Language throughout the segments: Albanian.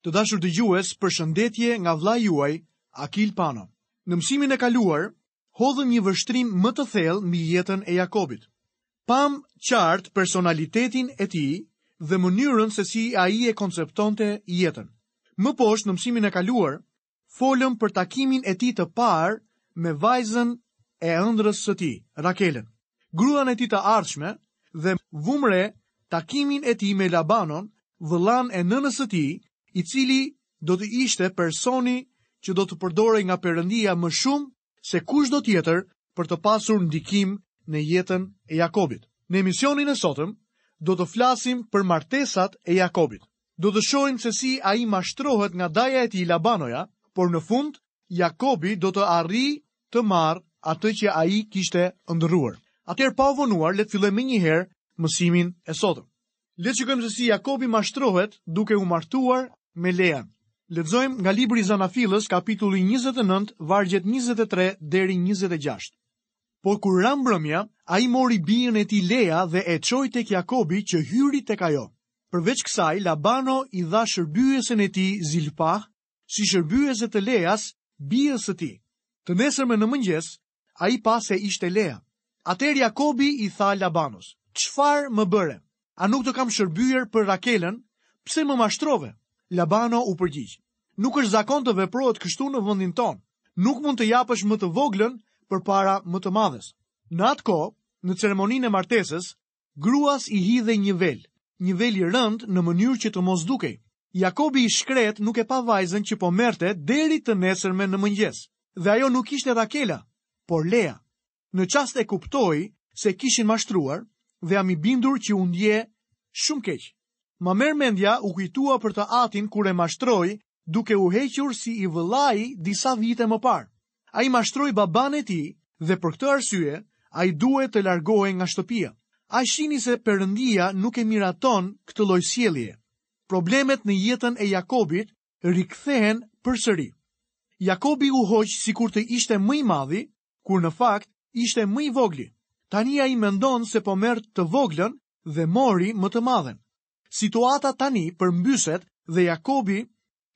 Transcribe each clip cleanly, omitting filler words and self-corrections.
Të dashur dëgjues, përshëndetje nga vëllai juaj, Akil Pano. Në mësimin e kaluar, hodhëm një vështrim më të thellë mbi jetën e Jakobit. Pamë qartë personalitetin e tij dhe mënyrën se si ai e konceptonte jetën. Më poshtë në mësimin e kaluar, folëm për takimin e tij të parë me vajzën e ëndrrës së tij, Rakelën, gruan e tij të ardhshme dhe vumë re takimin e tij me Labanon, vëllanë e nënës së tij, i cili do të ishte personi që do të përdorej nga Perëndia më shumë se kushdo tjetër për të pasur ndikim në jetën e Jakobit. Në emisionin e sotëm do të flasim për martesat e Jakobit. Do të shohim se si ai mashtrohet nga daja e tij Labanoja, por në fund Jakobi do të arrijë të marrë atë që ai kishte ëndërruar. Atëherë pa u vonuar, le të fillojmë menjëherë mësimin e sotëm. Le të shikojmë se si Jakobi mashtrohet duke u martuar me Lean. Lexojmë nga libri i Zanafillës, kapitulli 29, vargjet 23 deri 26. Por kur ra mbrëmja, ai mori bijën e tij Lea dhe e çoi tek Jakobi që hyri tek ajo. Përveç kësaj, Labano i dha shërbyesen e tij Zilpah si shërbyese të Leas, bijës së tij. Të nesërmen në mëngjes, ai pa se ishte Lea. Atëherë Jakobi i tha Labanos, Çfarë më bëre? A nuk të kam shërbyer për Rakelën? Pse më mashtrove? Labano u përgjigj, Nuk është zakon të veprohet kështu në vendin tonë. Nuk mund të japësh më të voglën përpara më të madhes. Në atë kohë, në ceremoninë e martesës, Gruas i hidhej një vel, një vel i rëndë në mënyrë që të mos dukej. Jakobi i shkretë nuk e pa vajzën që po merrte deri të nesërmen në mëngjes. Dhe ajo nuk ishte Rakela, por Lea. Në çast e kuptoi se e kishin mashtruar dhe jam i bindur që u ndje shumë keq. Ma merr mendja u kujtua për të atin kur e mashtroi duke u hequr si i vëllai disa vite më parë. Ai mashtroi babanë e tij dhe për këtë arsye ai duhet të largohej nga shtëpia. A shihni se Perëndia nuk e miraton këtë lloj sjelljeje? Problemet në jetën e Jakobit rikthehen përsëri. Jakobi u hoq sikur të ishte më i madhi, kur në fakt ishte më i vogli. Tani ai mendon se po merr të voglën dhe mori më të madhen. Situata tani përmbyset dhe Jakobi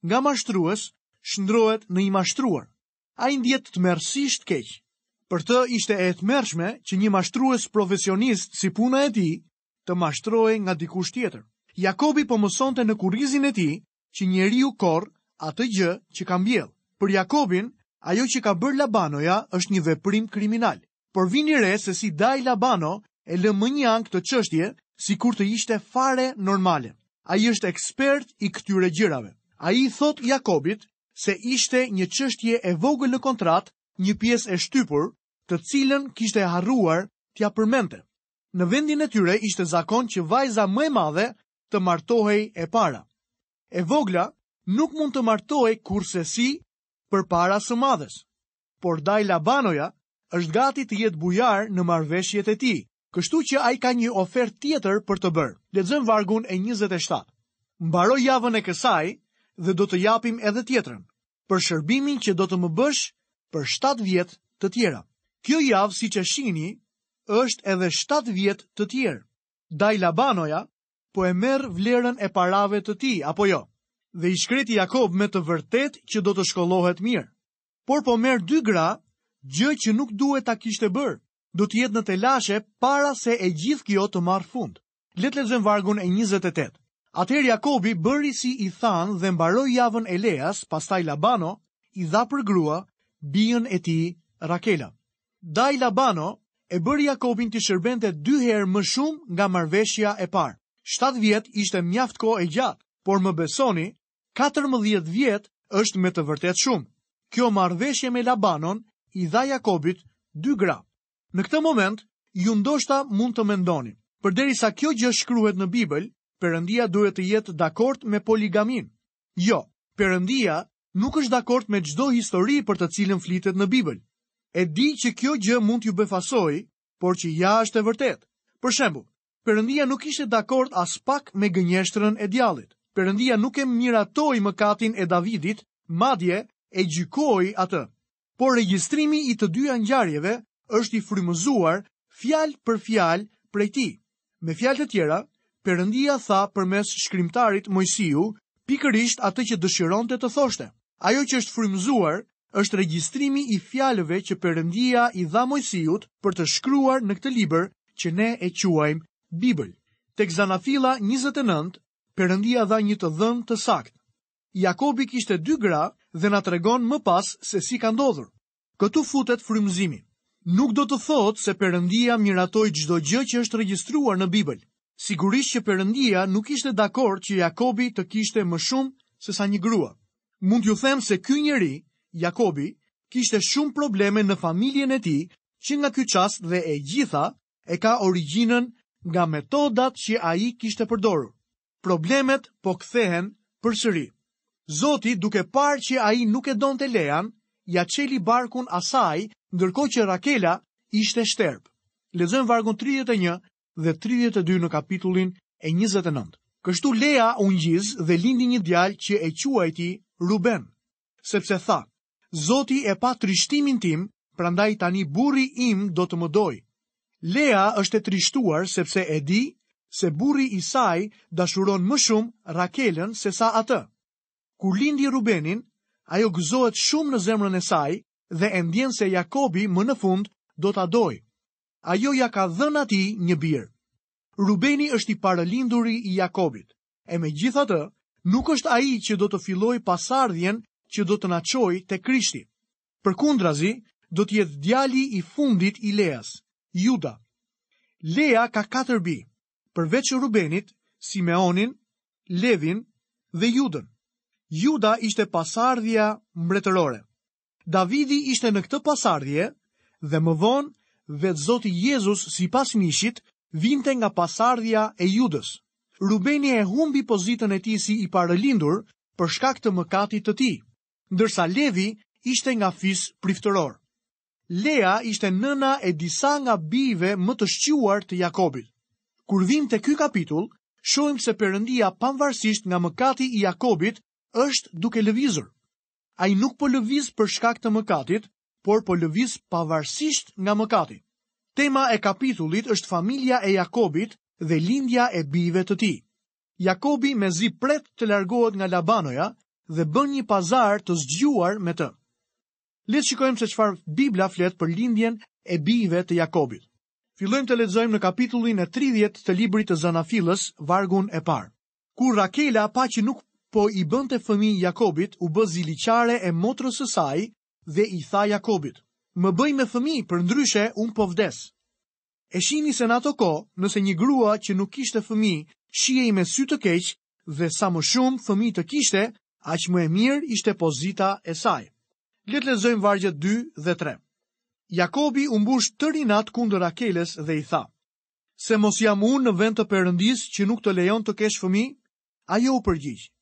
nga mashtrues shndërrohet në i mashtruar. Ai ndihet tmerrësisht keq. Për të ishte e tmerrshme që një mashtrues profesionist si puna e tij të mashtrohej nga dikush tjetër. Jakobi po mësonte në kurrizin e tij që njeriu korr atë gjë që ka mbjellë. Për Jakobin, ajo që ka bërë Labanoja është një veprim kriminal. Por vini re se si dai Labano e lë mënjanë këtë çështje sikur të ishte fare normale. Ai është ekspert i këtyre gjërave. Ai i thotë Jakobit se ishte një çështje e vogël në kontratë, një pjesë e shtypur, të cilën kishte harruar t'ia përmendte. Në vendin e tyre ishte zakon që vajza më e madhe të martohej e para. E vogla nuk mund të martohej kurrsesi përpara së madhes. Por dai Labanoja është gati të jetë bujar në marrëveshjet e tij, kështu që ai ka një ofertë tjetër për të bërë. Lexojmë vargun e 27. Mbaro javën e kësaj dhe do të japim edhe tjetrën, për shërbimin që do të më bësh për 7 vjet të tjera. Kjo javë, siç e shihni, është edhe 7 vjet të tjerë. Dai Labanoja po e merr vlerën e parave të tij, apo jo? Dhe i shkreti Jakob me të vërtetë që do të shkollohet mirë. Por po merr dy gra, gjë që nuk duhet ta kishte bërë. Do të jetë në telashe para se e gjithë kjo të marrë fund. Le të lexojmë vargun e 28. Atëherë Jakobi bëri si i thanë dhe mbaroi javën e Leas, pastaj Labano i dha për grua bijën e tij Rakela. Dai Labano e bëri Jakobin t'i shërbente dy herë më shumë nga marrëveshja e parë. 7 vjet ishte mjaft kohë e gjatë, por më besoni, 14 vjet është me të vërtetë shumë. Kjo marrëveshje me Labanon i dha Jakobit dy gra. Në këtë moment, ju ndoshta mund të mendoni, përderisa kjo gjë shkruhet në Bibël, Perëndia duhet të jetë dakord me poligaminë. Jo, Perëndia nuk është dakord me çdo histori për të cilën flitet në Bibël. E di që kjo gjë mund t'ju befasojë, por që ja është e vërtetë. Për shembull, Perëndia nuk ishte dakord aspak me gënjeshtrën e djallit. Perëndia nuk e miratoi mëkatin e Davidit, madje e gjykoi atë. Por regjistrimi i të dyja ngjarjeve është i frymëzuar fjalë për fjalë prej tij. Me fjalë të tjera, Perëndia tha përmes shkrimtarit Moisiu pikërisht atë që dëshironte të thoshte. Ajo që është frymëzuar është regjistrimi i fjalëve që Perëndia i dha Moisiut për të shkruar në këtë libër që ne e quajmë Bibël. Tek Zanafilla 29, Perëndia dha një të dhënë të saktë. Jakobi kishte dy gra dhe na tregon më pas se si ka ndodhur. Këtu futet frymëzimi. Nuk do të thotë se Perëndia miratoi çdo gjë që është regjistruar në Bibël. Sigurisht që Perëndia nuk ishte dakord që Jakobi të kishte më shumë se sa një grua. Mund t'ju them se ky njeri, Jakobi, kishte shumë probleme në familjen e tij që nga ky çast dhe e gjitha e ka origjinën nga metodat që ai kishte përdorur. Problemet po kthehen përsëri. Zoti, duke parë që ai nuk e donte Lean, ia çeli barkun asaj, ndërkohë që Rakela ishte shterpë. Lexojmë vargun 31 dhe 32 në kapitullin e 29. Kështu Lea u ngjiz dhe lindi një djalë që e quajti Ruben, sepse tha, Zoti e pa trishtimin tim, prandaj tani burri im do të më dojë. Lea është e trishtuar sepse e di se burri i saj dashuron më shumë Rakelën sesa atë. Kur lindi Rubenin, ajo gëzohet shumë në zemrën e saj dhe e ndjen se Jakobi më në fund do ta dojë. Ajo ia ka dhënë atij një bir. Rubeni është i parëlinduri i Jakobit. E megjithatë, nuk është ai që do të fillojë pasardhjen që do të na çojë te Krishti. Përkundrazi, do të jetë djali i fundit i Leas, Juda. Lea ka katër bij, përveç Rubenit, Simeonin, Levin dhe Judën. Juda ishte pasardhja mbretërore. Davidi ishte në këtë pasardhje dhe më vonë vetë Zoti Jezus sipas mishit vinte nga pasardhja e Judës. Rubeni e humbi pozitën e tij si i parëlindur për shkak të mëkatit të tij, ndërsa Levi ishte nga fis priftëror. Lea ishte nëna e disa nga bijve më të shquar të Jakobit. Kur vijmë te ky kapitull, shohim se Perëndia pavarësisht nga mëkati i Jakobit është duke lëvizur. Ai nuk po lëviz për shkak të mëkatit, por po lëviz pavarësisht nga mëkati. Tema e kapitullit është familja e Jakobit dhe lindja e bijve të tij. Jakobi mezi pret të largohet nga Labanoja dhe bën një pazar të zgjuar me të. Le të shikojmë se çfarë Bibla flet për lindjen e bijve të Jakobit. Fillojmë të lexojmë në kapitullin e 30 të librit të Zanafillës, vargun e parë. Kur Rakela pa që nuk po i bënte fëmijë Jakobit, u bë ziliqare e motrës së saj dhe i tha Jakobit, Më bëj me fëmijë, përndryshe unë po vdes. E shihni se në ato kohë, nëse një grua që nuk kishte fëmijë shihej me sy të keq dhe sa më shumë fëmijë të kishte, aq më e mirë ishte pozita e saj. Le të lexojmë vargjet 2 dhe 3. Jakobi u mbush tërë inat kundër Rakelës dhe i tha: Se mos jam unë në vend të Perëndisë që nuk të lejon të kesh fëmijë? Ajo u përgjigj,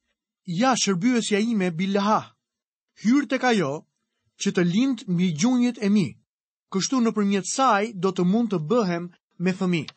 Ja, shërbyesja ime Bilhah, hyr tek ajo që të lindë mbi gjunjët e mi. Kështu nëpërmjet saj do të mund të bëhem me fëmijë.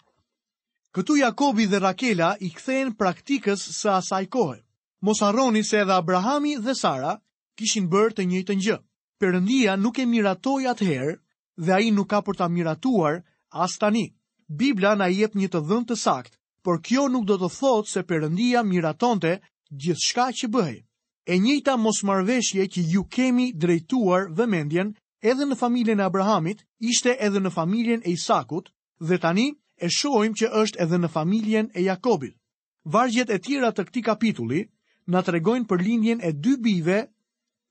Këtu Jakobi dhe Rakela i kthehen praktikës së asaj kohe. Mos harroni se edhe Abrahami dhe Sara kishin bërë të njëjtën gjë. Perëndia nuk e miratoi atëherë dhe ai nuk ka për ta miratuar as tani. Bibla na jep një të dhënë të saktë, por kjo nuk do të thotë se Perëndia miratonte gjithçka që bëhej. E njëjta mosmarrëveshje që ju kemi drejtuar vëmendjen edhe në familjen e Abrahamit, ishte edhe në familjen e Isakut dhe tani e shohim që është edhe në familjen e Jakobit. Vargjet e tjera të këtij kapitulli na tregojnë për lindjen e dy bijve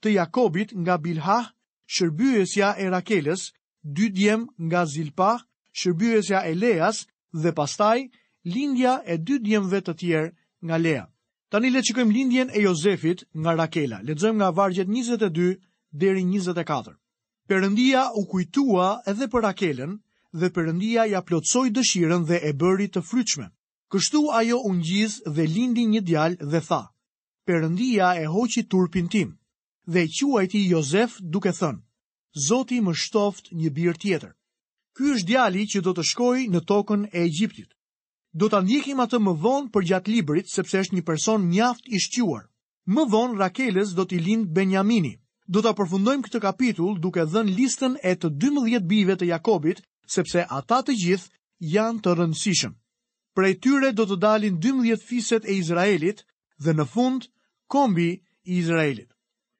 të Jakobit nga Bilhah, shërbyesja e Rakelës, dy djem nga Zilpah, shërbyesja e Leas dhe pastaj lindja e dy djemve të tjerë nga Lea. Tani le të shikojmë lindjen e Jozefit nga Rakela. Lexojmë nga vargjet 22 deri 24. Perëndia u kujtua edhe për Rakelën dhe Perëndia ia plotësoi dëshirën dhe e bëri të frytshme. Kështu ajo u ngjiz dhe lindi një djalë dhe tha, Perëndia e hoqi turpin tim. Dhe e quajti Jozef duke thënë, Zoti më shtoftë një bir tjetër. Ky është djali që do të shkojë në tokën e Egjiptit. Do ta ndjekim atë më vonë përgjatë librit sepse është një person mjaft i shquar. Më vonë Rakelës do t'i lindë Benjamini. Do ta përfundojmë këtë kapitull duke dhënë listën e të 12 bijve të Jakobit, sepse ata të gjithë janë të rëndësishëm. Prej tyre do të dalin 12 fiset e Izraelit dhe në fund Kombi i Izraelit.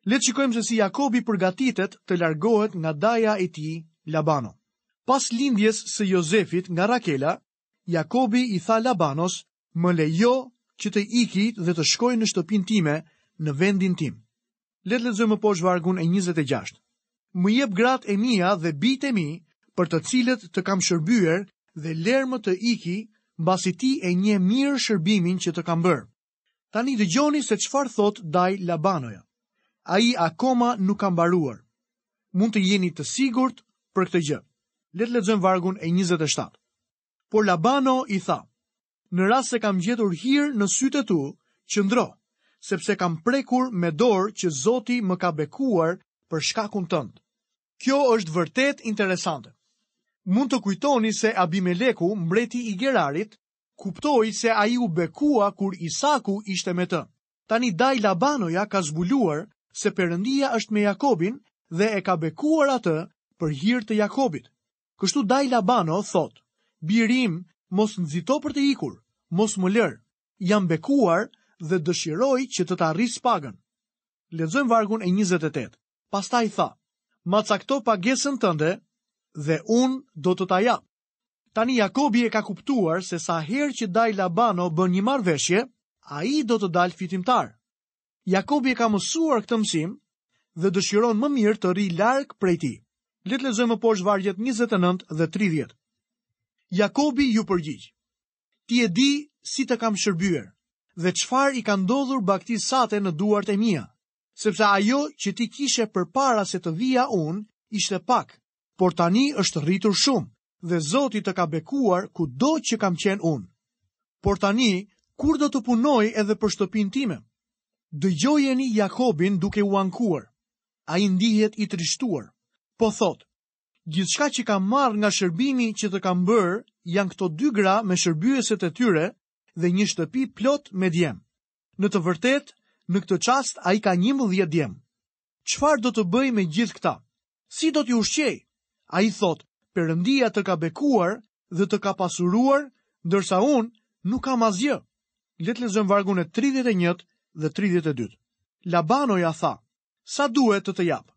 Le të shikojmë se si Jakobi përgatitet të largohet nga daja i tij Labano. Pas lindjes së Jozefit nga Rakela, Jakobi i tha Labanos, "Më lejo që të iki dhe të shkoj në shtëpinë time, në vendin tim." Le të lexojmë më poshtë vargun e 26. Më jep gratë e mia dhe bijtë e mi, për të cilët të kam shërbyer dhe lermë të iki, mbasi ti e njeh mirë shërbimin që të kam bërë. Tani dëgjoni se çfarë thotë dajë Labanoja. Ai akoma nuk ka mbaruar. Mund të jeni të sigurt për këtë gjë. Le të lexojmë vargun e 27. Por Labano i tha: Në rast se kam gjetur hir në sytë e tu, qëndro, sepse kam prekur me dorë që Zoti më ka bekuar për shkakun tënd. Kjo është vërtet interesante. Mund të kujtoni se Abimeleku, mbreti i Gerarit, kuptoi se ai u bekua kur Isaku ishte me të. Tani dajë Labanoja ka zbuluar se Perëndia është me Jakobin dhe e ka bekuar atë për hir të Jakobit. Kështu dajë Labano thotë, biri im, mos nxito për të ikur, mos më lër. Jam bekuar dhe dëshiroj që të ta rris pagën. Lexojmë vargun e 28. Pastaj tha, ma cakto pagesën tënde dhe unë do të ta jap. Tani Jakobi e ka kuptuar se sa herë që dajë Labano bën një marrëveshje, ai do të dalë fitimtar. Jakobi e ka mësuar këtë mësim dhe dëshiron më mirë të rrijë larg prej tij. Le të lexojmë më poshtë vargjet 29 dhe 30. Jakobi iu përgjigj: Ti e di si të kam shërbyer dhe çfarë i ka ndodhur bagëtisë sate në duart e mia, sepse ajo që ti kishe përpara se të vija unë ishte pak, por tani është rritur shumë dhe Zoti të ka bekuar kudo që kam qenë unë. Por tani, kur do të punoj edhe për shtëpinë time? Dëgjojeni Jakobin duke u ankuar. Ai ndihet i trishtuar. Po thotë, gjithçka që kam marrë nga shërbimi që të kam bërë janë këto dy gra me shërbyeset e tyre dhe një shtëpi plot me djem. Në të vërtetë, në këtë çast ai ka 11 djem. Çfarë do të bëj me gjithë këta? Si do t'i ushqej? Ai thotë, Perëndia të ka bekuar dhe të ka pasuruar, ndërsa unë nuk kam asgjë. Le të lexojmë vargun e 31 dhe 32. Labanoja tha, sa duhet të të jap?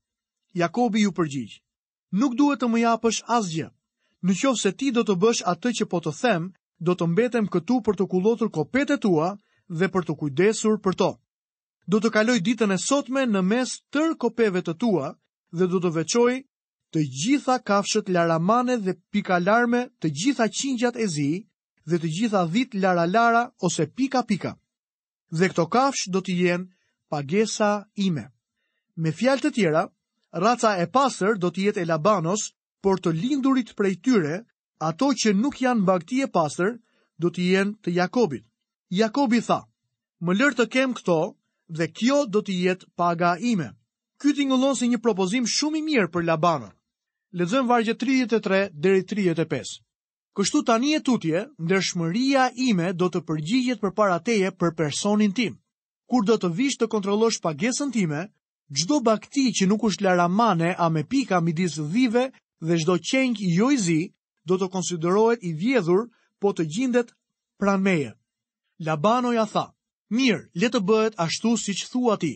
Jakobi iu përgjigj, nuk duhet të më japësh asgjë. Në qoftë se ti do të bësh atë që po të them, do të mbetem këtu për të kullotur kopetë e tua dhe për t'u kujdesur për to. Do të kaloj ditën e sotme në mes tërë kopeve të tua dhe do të veçoj të gjitha kafshët laramane dhe pikalarme, të gjitha qingjat e zi dhe të gjitha dhitë lara-lara ose pika-pika. Dhe këto kafshë do të jenë pagesa ime. Me fjalë të tjera, raca e pastër do të jetë e Labanos, por të lindurit prej tyre, ato që nuk janë bagëti e pastër, do të jenë të Jakobit. Jakobi tha, më lër të kem këto dhe kjo do të jetë paga ime. Ky tingëllon si një propozim shumë i mirë për Labanon. Lexojmë vargjet 33 deri 35. Kështu tani e tutje, ndershmëria ime do të përgjigjet përpara teje për personin tim. Kur do të vish të kontrollosh pagesën time, Çdo bagëti që nuk është laramane a me pika midis dhive dhe çdo qengj jo i zi do të konsiderohet i vjedhur po të gjindet pranë meje. Labanoja tha, mirë, le të bëhet ashtu siç thua ti.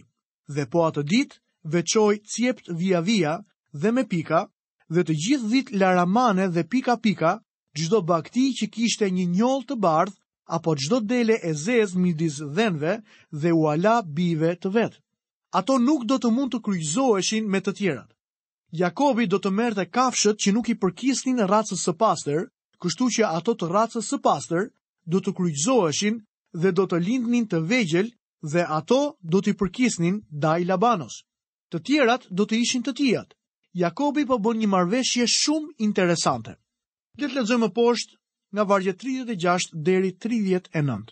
Dhe po atë ditë veçoi cjeptë vija-vija dhe me pika dhe të gjithë dhitë laramane dhe pika-pika, çdo bagëti që kishte një njollë të bardhë apo çdo dele e zezë midis dhenve dhe ua la bijve të vet. Ato nuk do të mund të kryqëzoheshin me të tjerat. Jakobi do të merrte kafshët që nuk i përkisnin racës së pastër, kështu që ato të racës së pastër do të kryqëzoheshin dhe do të lindnin të vegjël dhe ato do t'i përkisnin dajë Labanos. Të tjerat do të ishin të tijat. Jakobi po bën një marrëveshje shumë interesante. Le të lexojmë më poshtë nga vargjet 36 deri 39.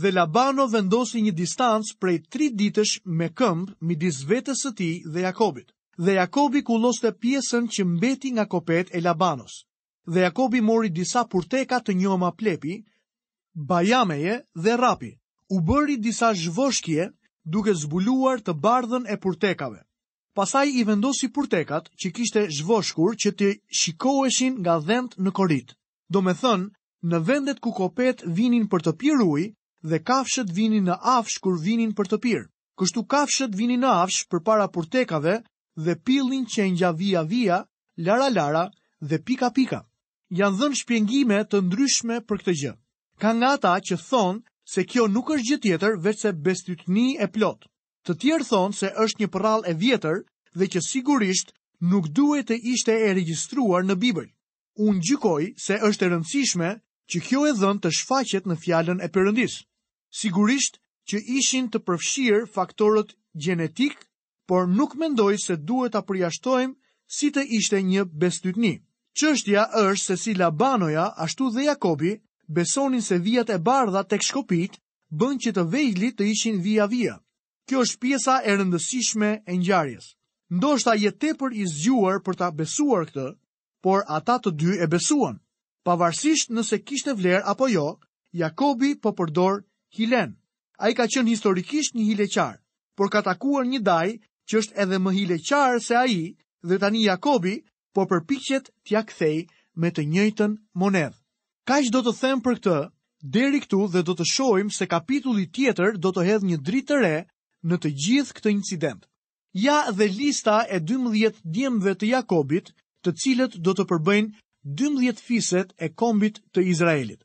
Dhe Labano vendosi një distancë prej tri ditësh me këmbë midis vetes së tij dhe Jakobit. Dhe Jakobi kulloste pjesën që mbeti nga kopetë e Labanos. Dhe Jakobi mori disa purteka të njoma plepi, bajameje dhe rrapi. U bëri disa zhvoshkje duke zbuluar të bardhën e purtekave. Pastaj i vendosi purtekat që kishte zhvoshkur që të shikoheshin nga dhentë në koritë. Domethënë, në vendet ku kopetë vinin për të pirë ujë dhe kafshët vinin në afsh kur vinin për të pirë. Kështu kafshët vinin në afsh përpara purtekave dhe pillnin qengja vija-vija, lara-lara dhe pika-pika. Janë dhënë shpjegime të ndryshme për këtë gjë. Ka nga ata që thonë se kjo nuk është gjë tjetër veçse bestytni e plotë. Të tjerë thonë se është një përrallë e vjetër dhe që sigurisht nuk duhej të ishte e regjistruar në Bibël. Unë gjykoj se është e rëndësishme që kjo e dhënë të shfaqet në fjalën e Perëndisë. Sigurisht që ishin të përfshirë faktorët gjenetikë por nuk mendoj se duhet ta përjashtojmë si të ishte një bestytni. Çështja është se si Labanoja, ashtu dhe Jakobi, besonin se vijat e bardha tek shkopinjtë bënë që të vegjlit të ishin vija-vija. Kjo është pjesa e rëndësishme e ngjarjes. Ndoshta je tepër i zgjuar për ta besuar këtë, por ata të dy e besuan. Pavarësisht nëse kishte vlerë apo jo, Jakobi po përdor hilenë. Ai ka qenë historikisht një hileqar, por ka takuar një dajë që është edhe më hileqar se ai dhe tani Jakobi po përpiqet t'ia kthejë me të njëjtën monedhë. Kaq do të them për këtë deri këtu dhe do të shohim se kapitulli tjetër do të hedhë një dritë të re në të gjithë këtë incident. Ja dhe lista e 12 djemve të Jakobit, të cilët do të përbëjnë 12 fiset e kombit të Izraelit.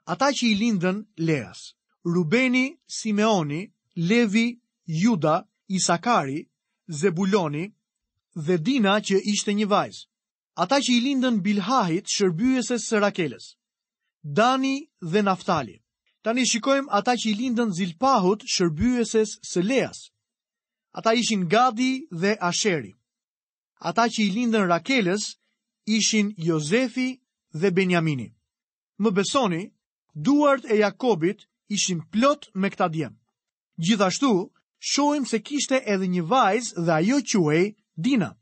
Ata që i lindën Leas, Rubeni, Simeoni, Levi, Juda, Isakari, Zebuloni dhe Dina që ishte një vajzë. Ata që i lindën Bilhahit, shërbyeses së Rakelës. Dani dhe Naftali. Tani shikojmë ata që i lindën Zilpahut, shërbyeses së Leas. Ata ishin Gadi dhe Asheri. Ata që i lindën Rakelës ishin Jozefi dhe Benjamini. Më besoni, duart e Jakobit ishin plot me këta djem. Gjithashtu, shohim se kishte edhe një vajzë dhe ajo quhej Dina.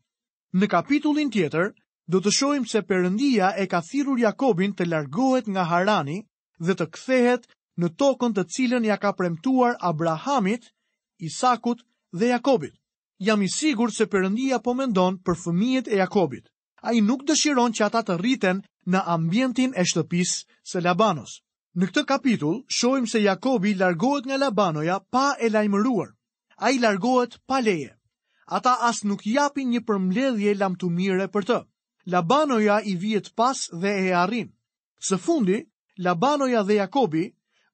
Në kapitullin tjetër, do të shohim se Perëndia e ka thirrur Jakobin të largohet nga Harani dhe të kthehet në tokën të cilën ia ka premtuar Abrahamit, Isakut dhe Jakobit. Jam i sigurt se Perëndia po mendon për fëmijët e Jakobit. Ai nuk dëshiron që ata të rriten në ambientin e shtëpisë së Labanos. Në këtë kapitull shohim se Jakobi largohet nga Labanoja pa e lajmëruar. Ai largohet pa leje. Ata as nuk japin një përmbledhje lamtumire për të. Labanoja i vihet pas dhe e arrin. Së fundi, Labanoja dhe Jakobi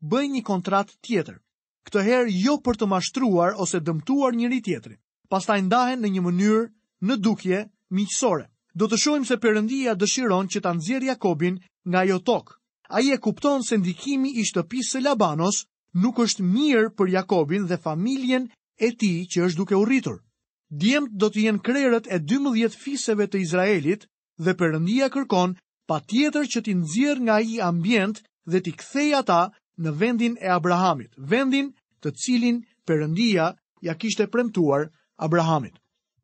bëjnë një kontratë tjetër. Këtë herë jo për të mashtruar ose dëmtuar njëri-tjetrin. Pastaj ndahen në një mënyrë në dukje miqësore. Do të shohim se Perëndia dëshiron që ta nxjerrë Jakobin nga ajo tokë. Ai e kupton se ndikimi i shtëpisë së Labanos nuk është mirë për Jakobin dhe familjen e tij që është duke u rritur. Djemtë do të jenë krerët e 12 fiseve të Izraelit dhe Perëndia kërkon patjetër që t'i nxjerrë nga ai ambient dhe t'i kthejë ata në vendin e Abrahamit, vendin të cilin Perëndia ia kishte premtuar Abrahamit.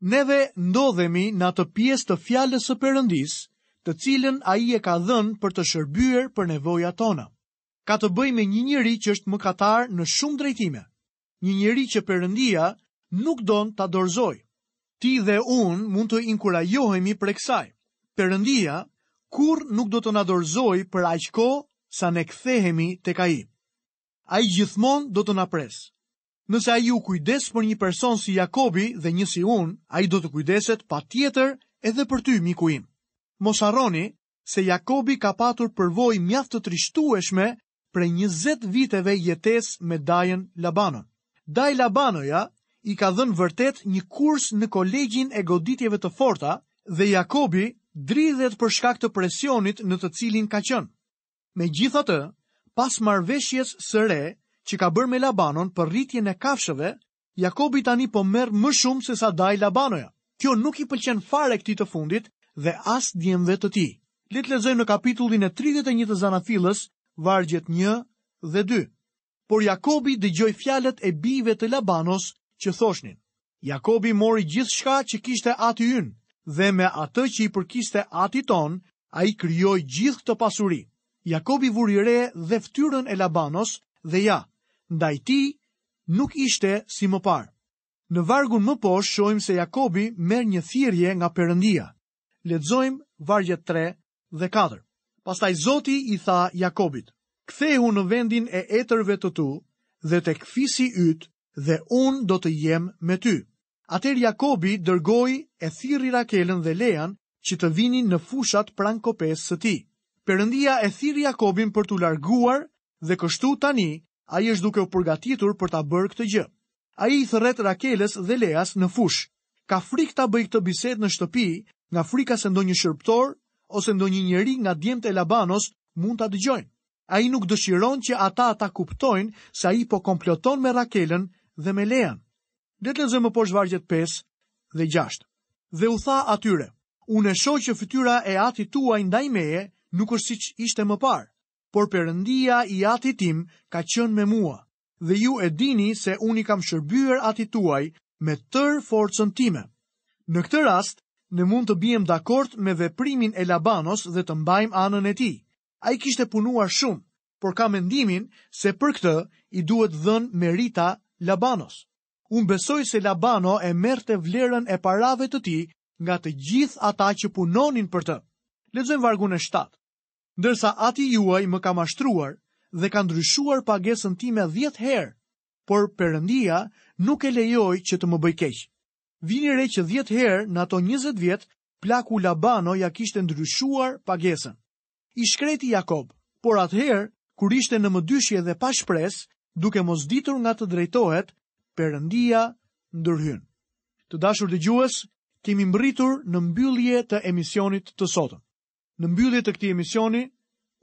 Neve ndodhemi në atë pjesë të fjalës së Perëndisë, të cilën ai e ka dhënë për të shërbyer për nevojat tona. Ka të bëjë me një njeri që është mëkatar në shumë drejtime. Një njeri që Perëndia nuk don ta dorëzojë. Ti dhe unë mund të inkurajohemi prej kësaj. Perëndia kurrë nuk do të na dorëzojë për aq kohë sa ne kthehemi tek Ai. Ai gjithmonë do të na presë. Nëse ai u kujdes për një person si Jakobi dhe një si unë, ai do të kujdeset patjetër edhe për ty, miku im. Mos harroni se Jakobi ka patur përvojë mjaft të trishtueshme prej 20 viteve jetesë me dajën Labanon. Dajë Labanoja i ka dhënë vërtet një kurs në kolegjin e goditjeve të forta dhe Jakobi dridhet për shkak të presionit në të cilin ka qenë. Megjithatë, pas marrëveshjes së re që ka bërë me Labanon për rritjen e kafshëve, Jakobi tani po merr më shumë sesa dajë Labanoja. Kjo nuk i pëlqen fare këtij të fundit dhe as djemve të tij. Le të lexojmë në kapitullin e 31 të Zanafillës, vargjet 1 dhe 2. Por Jakobi dëgjoi fjalët e bijve të Labanos që thoshnin: Jakobi mori gjithçka që kishte ati ynë dhe me atë që i përkiste atit tonë, ai krijoi gjithë këtë pasuri. Jakobi vuri re dhe fytyrën e Labanos dhe ja, ndaj tij nuk ishte si më parë. Në vargun më poshtë shohim se Jakobi merr një thirrje nga Perëndia. Lexojmë vargjet 3 dhe 4. Pastaj Zoti i tha Jakobit: Kthehu në vendin e etërve të tu dhe tek fisi yt. dhe unë do të jem me ty. Atëherë Jakobi dërgoi e thirri Rakelën dhe Lean që të vinin në fushat pranë kopesë së tij. Perëndia e thirri Jakobin për t'u larguar dhe kështu tani ai është duke u përgatitur për ta bërë këtë gjë. Ai i thërret Rakelës dhe Leas në fushë. Ka frikë ta bëjë këtë bisedë në shtëpi, nga frika se ndonjë shërbëtor ose ndonjë njeri nga djemtë e Labanos mund ta dëgjojnë. Ai nuk dëshiron që ata ta kuptojnë se ai po komploton me Rakelën dhe me Lean. Le të lexojmë më poshtë vargjet 5 dhe 6. Dhe u tha atyre, unë e shoh që fytyra e atit tuaj ndaj meje nuk është siç ishte më parë, por Perëndia i atit tim ka qenë me mua, dhe ju e dini se unë i kam shërbyer atit tuaj me tërë forcën time. Në këtë rast, ne mund të biem dakord me veprimin e Labanos dhe të mbajmë anën e tij. Ai kishte punuar shumë, por kam mendimin se për këtë i duhet dhënë merita Labanos. Unë besoj se Labano e merrte vlerën e parave të tij nga të gjithë ata që punonin për të. Lexojmë vargun e 7. Ndërsa ati juaj më ka mashtruar dhe ka ndryshuar pagesën time 10 herë, por Perëndia nuk e lejoi që të më bëjë keq. Vini re që 10 herë në ato 20 vjet plaku Labano ia kishte ndryshuar pagesën. I shkreti Jakob, por atëherë, kur ishte në mëdyshje dhe pa shpresë, duke mos ditur nga të drejtohet, Perëndia ndërhyn. Të dashur dëgjues, kemi mbërritur në mbyllje të emisionit të sotëm. Në mbyllje të këtij emisioni,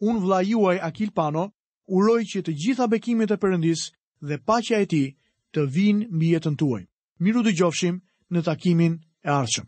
unë vëllai juaj Akil Pano, uroj që të gjitha bekimet e Perëndisë dhe paqja e tij të vijnë mbi jetën tuaj. Mirudëgjofshim në takimin e ardhshëm.